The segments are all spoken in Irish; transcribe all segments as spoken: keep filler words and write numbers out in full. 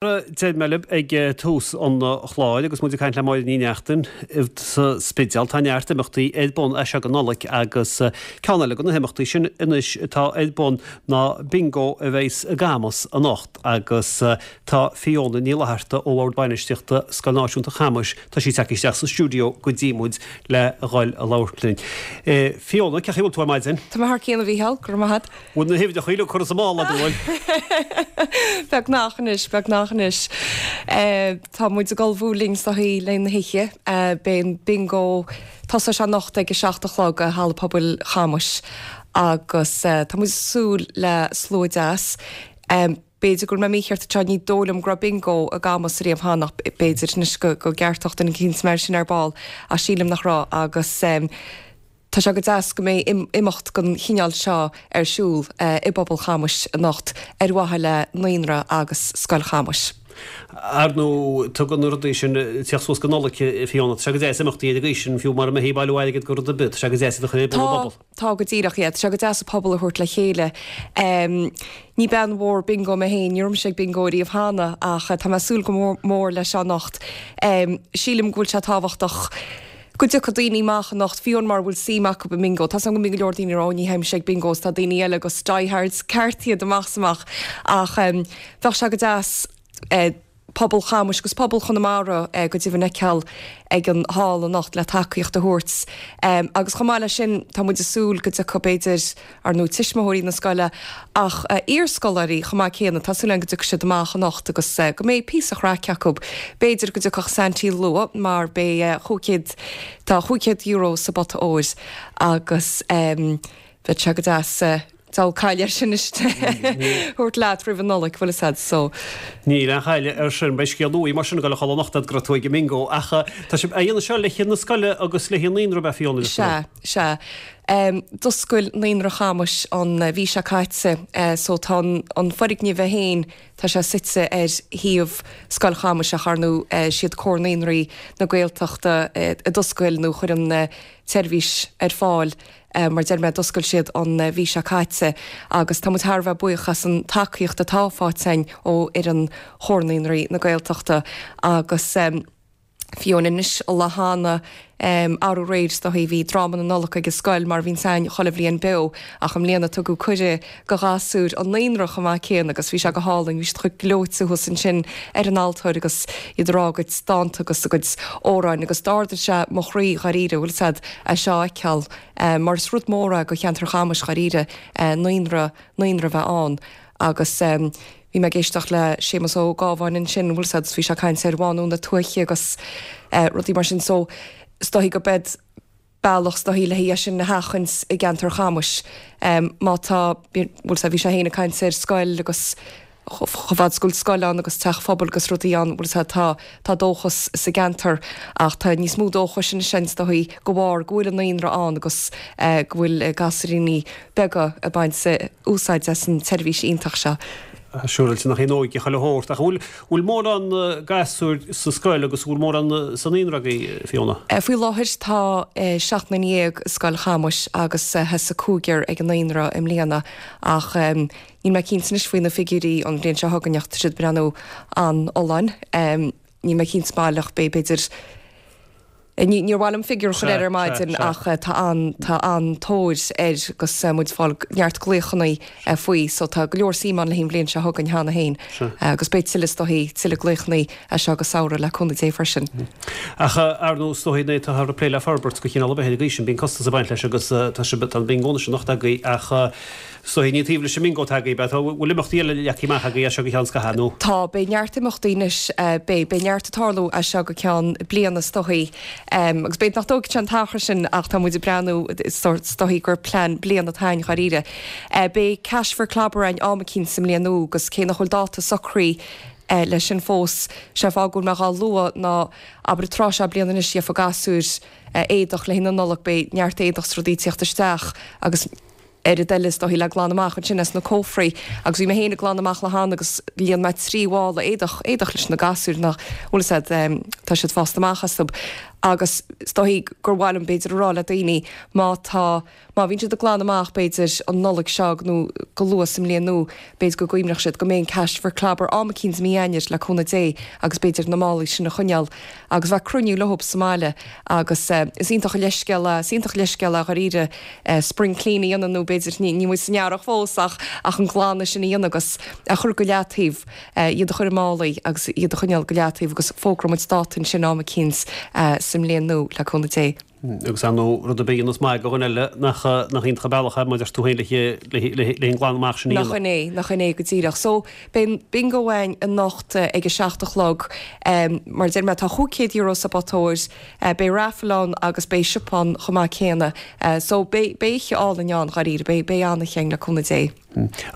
Deir mé libh ag tús an chláir agus muid ag caint le Máire Ní Neachtain sa Spidéal, tá neart imeachtaí ar bun as seo go Nollaig agus ceann eile de na himeachtaí sin anois atá ar bun ná bingo a bheas i gCamus anocht agus tá Fiona Ní Fhlatharta ó Bhord Bainistíochta Scoil Náisiúnta Chamuis, tá sí tagtha isteach sa stiúideo go dtí muid le dhul a labhairt linn. Fiona, cén chaoi a bhfuil tú ar maidin? Tá mé thar cionn a Mhícheáil, go raibh maith agat. Bhfuil na huimhreacha uilig curtha sa mála agat, an bhfuil? Beagnach anois, beagnach anois. Tá muid ag ullmhú linn is dóichí le na hoíche. Beidh an bingo, tosóidh sé anocht ag a seacht a chlog i Halla Pobail Chamuis agus tá muid ag súil le slua deas. B'fhéidir go bhfuil mé mícheart anseo, ní dóigh liom go raibh bingo i gCamus riamh cheana ach b'fhéidir anois go gceartódh duine eicínt mé sin ar ball ach sílim nach raibh agus tá sé go deas go mbeidh imeacht den chineál seo ar siúl i bpobal Chamuis anocht ar mhaithe le naíonra agus Scoil Chamuis. Ar ndóigh, tugann na rudaí sin teacht suas go Nollaig, Fiona, tá sé go deas imeachtaí ar an gcaoi sin, fiú mura mbeifí ag bailiú airgid go rud ar bith, tá sé go deas iad a chur ar bun i bpobal. Tá, tá go díreach, yeah, tá sé go deas an pobal a thabhairt le chéile. Ní bean mhór bingo mé féin, ní raibh mise ag bingo riamh cheana ach tá mé ag súil go mór leis seo anocht. Sílim go bhfuil sé tábhachtach go dtiocfadh daoine amach anocht, fiú mura bhfuil suim acu i mbingo. Tá 's agam go mbíonn go leor daoine ag rá, ní théimse ag bingo, is tá daoine eile agus diehards ceart iad amach is amach. Ach bheadh sé go deas pobal Chamuis agus pobal Chonamara go deimhin a fheiceáil ag an hall anocht le tacaíocht a thabhairt. Agus chomh maith leis sin, tá muid ag súil go dtiocfadh b'fhéidir, ar ndóigh tuismitheoirí na scoile ach iarscoláirí chomh maith céanna, tá súil againn go dtiocfaidh siad amach anocht agus go mbeidh píosa chraic acu. B'fhéidir go dtiocfadh Saintí luath mar beidh chúig chéad, tá chúig chéad euro sa bpota óir agus bheadh sé go deas diabhal cailleadh air sin anois thabhairt leat roimh an Nollaig, bhfuil fhios a'd, so. Níl aon chailleadh air sin, beidh scéal uaidh mar sin ag dul a chodladh anocht go raibh tú ag an mbingo ach tá sibh á dhéanamh seo le haghaidh na scoile agus le haghaidh an naíonra, ab ea Fiona? Sea, sea. D'oscail Naíonra Chamuis an mhí seo caite so tá an foirgneamh é féin, tá sé suite ar shuíomh Scoil Chamuis ach ar ndóigh siad Comhar Naíonraí na Gaeltachta a d'oscail nó chuir an tseirbhís ar fáil mar deir mé d'oscail siad an mhí seo caite agus tá muid thar a bheith buíoch as an tacaíocht atá faighte againn ó fhoireann Chomhar Naíonraí na Gaeltachta agus fiú anois an lá cheana arú aréir is dóichí bhí dráma na Nollag ag an scoil mar a bhíonns againn chuile bhliain beo ach i mbliana tugadh cuireadh go ghasúir an naíonra chomh maith céanna agus bhí sé go hálainn bhí siad chomh gleoite thuas ansin ar an altóir agus iad ag rá a gcuid dánta agus a gcuid amhráin agus d'ardaigh sé mo chroí dháiríre bhfuil 'fhios a'd é seo a fheiceáil mar is rud mór é go cheantar Chamuis dháiríre naíonra naíonra a bheith ann agus bhí mé ag éisteacht le Séamus Ó Gábháin ansin bhfuil 'fhios a'd bhí sé ag caint ar bhánú na tuaithe agus rudaí mar sin so is dóichí go beid bealach is dóichí le haghaidh é sin a sheachaint i gceantar Chamuis. Má tá, bhfuil 'fhios a'd bhí sé féin ag caint ar scoil agus chomh fada is go bhfuil scoil ann agus teach phobail agus rudaí ann, bhfuil 'fhios a'd tá, tá dóchas sa gceantar ach tá níos mó dóchais anois is dóichí de bharr go bhfuil an naíonra ann agus go bhfuil gasúiríní beaga ag baint úsáid as an tseirbhís iontach seo. Siúráilte nach í an óige chuile shórt. Ach an bhfuil, bhfuil mórán gasúir sa scoil agus an bhfuil mórán sa naíonra agaibh, Fiona? Faoi láthair tá seacht nduine dhéag i Scoil Chamuis agus theas cúigear ag an naíonra i mbliana ach níl mé cinnte anois faoi na figiúirí an bhliain seo chugainn ach tá siad ag breathnú an-fholláin. Níl mé cinnte baileach, beidh b'fhéidir Níor mhaith liom figiúr a chur air ar maidin ach tá an tá an-tóir air agus muid ag fáil neart glaochanna faoi so tá go leor suim ann le haghaidh an bhliain seo chugainn cheana féin agus beidh tuilleadh is dóichí tuilleadh glaochanna as seo go samhradh le cúnamh Dé freisin. Ach ar ndóigh is dóichí nuair atáthar ag plé le forbairt de chineál ar bith ar an gcaoi sin bíonn costas ag baint leis agus tá sibh tá an bingo anois anocht agaibh ach Is dóichí ní taobh leis an mbingo atá agaibh, ab ea? Bhfuil imeachtaí eile leagtha amach agaibh as seo go ceann scaithimh, nó? Tá, beidh neart imeachtaí anois, beidh, beidh neart ag tarlú as seo go ceann bliana is dóichí. Agus b'fhéidir nach dtógfaidh sé an t-achar sin ach tá muid ag breathnú, is dóichí gur plean bliana atá againn dháiríre. Beidh Cash for Clobber againn am eicínt sa mbliain nua agus cé nach bhfuil dáta socraithe leis sin fós, sé an fáth go bhfuil mé dhá lua ná, abair an tráth seo bliana anois gheofá gasúir éadach le haghaidh na Nollag, beidh neart éadach is rudaí ag tíocht isteach agus, oiread eile is dóichí le glanadh amach ansin as na cófraí agus bhí mé féin ag glanadh amach le hAnna agus líon mé trí mhála éadach éadach leis na gasúir nach bhfuil a fhios a'd tá siad fásta amach astu agus is dóichí gur mhaith liom b'fhéidir a rá le daoine má tá má bhíonn siad ag glanadh amach b'fhéidir an Nollaig seo nó go luath sa mbliain nua b'fhéidir go gcuimhneodh siad go mbeidh an Cash for Clobber am eicínt i mí Eanáir le cúnamh Dé agus b'fhéidir na málaí sin a choinneáil agus bheith cruinniú leo sa mbaile agus is iontach an leithscéal é is iontach an leithscéal é dháiríre spring clean a dhéanamh nó b'fhéidir ní níl muid san earrach fós ach ach an glanadh sin a dhéanamh agus a chur go leataobh iad a chur i málaí agus iad a choinneáil go leataobh agus fógróidh muid dáta ansin am eicínt sa mbliain nua le cúnamh Dé. Agus ar ndóigh rud ar bith a dhéanas maith do dhuine eile nach nach iontach an bealach é mar a deir tú féin le le le an glanadh amach sin a dhéanamh. Nach in é, nach in é go díreach. So beidh bingo againn anocht ag a seacht a chlog. Mar a deir mé tá chúig chéad euro sa bpota óir, beidh raffle ann agus beidh siopa ann chomh maith céanna. So beidh beidh oíche álainn ann dháiríre, beidh beidh an-oíche againn le cúnamh Dé.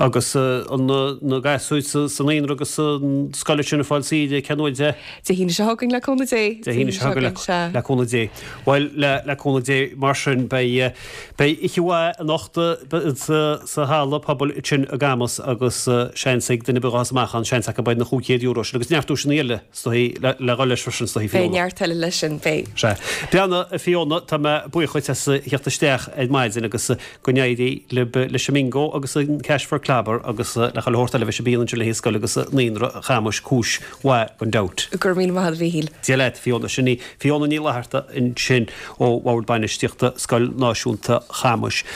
Agus an na gasúir sa naíonra agus sa scoil sin ag fáil saoire cén uair de? Dé hAoine seo chugainn le cúnamh Dé. Dé hAoine seo chugainn le cúnamh Dé. Bhuel le le cúnamh Dé mar sin beidh beidh oíche mhaith anocht sa halla pobail sin i gCamus agus seans ag duine ar bith a ghabhfas amach ann seans acu beidh na chúig chéad euro sin agus neart duaiseanna eile is dóichí le le dhul leis freisin is dóichí Fiona. Beidh neart eile leis sin, beidh. Sea. Beanna Fiona tá mé buíoch dhuit as theacht isteach ar maidin agus go n-éirí libh leis an mbingo agus an Cash for Clobber agus le chuile shórt eile a bheas ar bun ansin le haghaidh scoil agus naíonra Chamuis cúis mhaith gan dabht. Go raibh míle maith agat a Mhíchíl. Dia leat, Fiona. Sin í Fiona Ní Fhlatharta ansin ó Bhord Bainistíochta Scoil Náisiúnta Chamuis.